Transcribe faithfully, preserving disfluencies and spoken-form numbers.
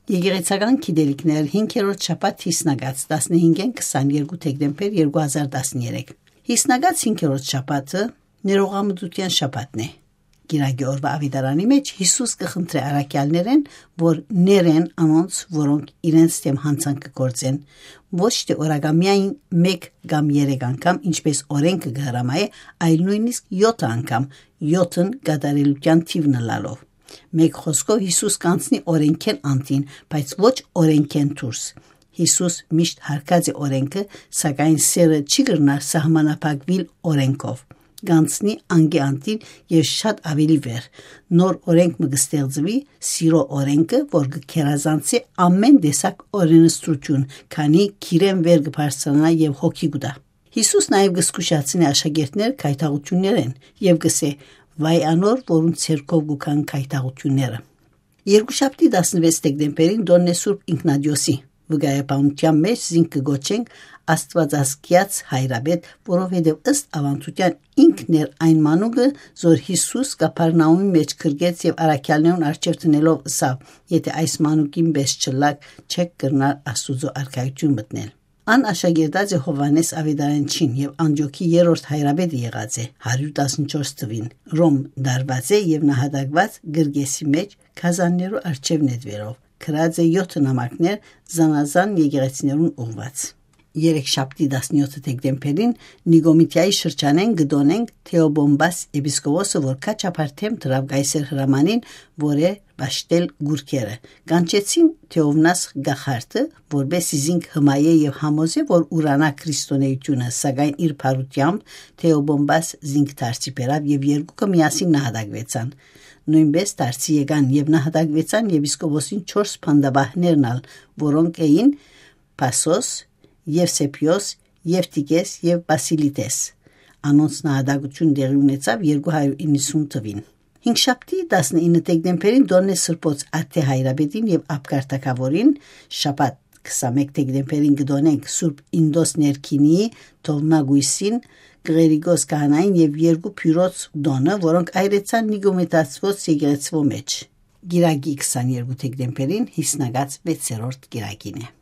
Եկեղեցական գիտելիքներ, հինգերորդ շաբաթ, Յիսնակաց, տասնհինգէն քսանեքերկու դեկտեմբեր երկու հազար տասներեք։ Յիսնակաց հինգերորդ շաբաթը ներողամտության շաբաթն է։ Կիրակի օրուայ աւետարանի մէջ Յիսուս կը խնդրէ առաքեալներէն, որ ներեն անոնց, որոնք իրենց դէմ յանցանք կը գործեն, ոչ թէ օրակամիային մէկ կամ երեք անգամ, ինչպես օրէնքը կը հրամայէ, այլ նոյնիսկ եօթ անգամ, եօթն կատարելութեան թիվն ըլլալով։ Մէկ խօսքով, Յիսուս կ'անցնի օրէնքէն անդին, բայց ոչ օրէնքէն դուրս։ Յիսուս միշտ յարգած է օրէնքը, սակայն սէրը չի կրնար սահմանափակուիլ օրէնքով։ Կ'անցնի անկէ անդին եւ շատ աւելի վեր։ Նոր օրէնք մը կը ստեղծուի, սիրո օրէնքը, որ կը գերազանցի ամէն տեսակ օրենսդրութիւն, քանի գիրէն վեր կը բարձրանայ եւ հոգի կու տայ։ Յիսուս նաեւ կը զգուշացնէ աշակերտներ գայթակղութիւններէն եւ կ'ըսէ. «Վայ անոր, որուն ձեռքով կու գան գայթակղութիւնները»։ Երկուշաբթի, տասնվեց դեկտեմբերին, տօնն է Սուրբ Ինքնատիոսի։ Վկայաբանութեան մէջ զինք կը կոչենք Աստուածազգեաց հայրապետ, որովհետեւ, ըստ աւանդութեան, ինքն էր այն մանուկը, զոր Յիսուս Կափառնաումի մէջ գրկեց եւ առաքեալներուն առջեւ դնելով ըսաւ. «Եթէ այս մանուկին պէս չըլլաք, չէք կրնար Աստուծոյ արքայութիւն մտնել»։ Ան աշակերտած է Յովհաննէս Աւետարանչին եւ Անտիոքի երրորդ հայրապետը եղած է, հարիւր տասնչորս թուին Ռոմ տարուած է եւ նահատակուած Գրգէսի մէջ գազաններու առջեւ նետուելով, գրած է եօթ նամակներ զանազան եկեղեցիներուն ուղղուած։ Երեքշաբթի, տասնեօթ դեկտեմբերին, Նիկոմիդիայի շրջանէն կը տօնենք Թէոբոմբաս եպիսկոպոսը, որ քաչափար դէմ դրաւ կայսեր հրամանին, որ է պաշտել կուռքերը։ Կանչեցին Թէովնաս գախարդը, որպէս զի զինք հմայէ եւ համոզէ, որ ուրանայ քրիստոնէութիւնը, սակայն իր բարութեամբ Թէոբոմբաս զինք դարձի բերաւ եւ երկուքը միասին նահատակուեցան։ Նոյնպէս դարձի եկան եւ նահատակուեցան եպիսկոպոսին չորս բանտապահներն ալ, որոնք էին Փասոս, Եւսեփիոս, Եւտիքէս եւ Պասիլիտէս։ Անոնց նահատակութիւն տեղի ունեցաւ երկու հարիւր իննսուն թուին։ Հինգշաբթի, տասնինը դեկտեմբերին, տօնն է Սրբոց Աթէ հայրապետին եւ Աբգար թագաւորին, շաբաթ, քսանմէկ դեկտեմբերին, կը տօնենք Սուրբ Ինդոս Ներքինիի, Թովմա կոյսին, Կղերիկոս քահանային եւ երկու բիւրոց տօնը, որոնք այրեցան Նիկոմետացւոց եկեղեցւոյ մէջ։ Կիրակի, քսաներկու դեկտեմբերին, Յիսնակաց վեցերորդ կիրակին է։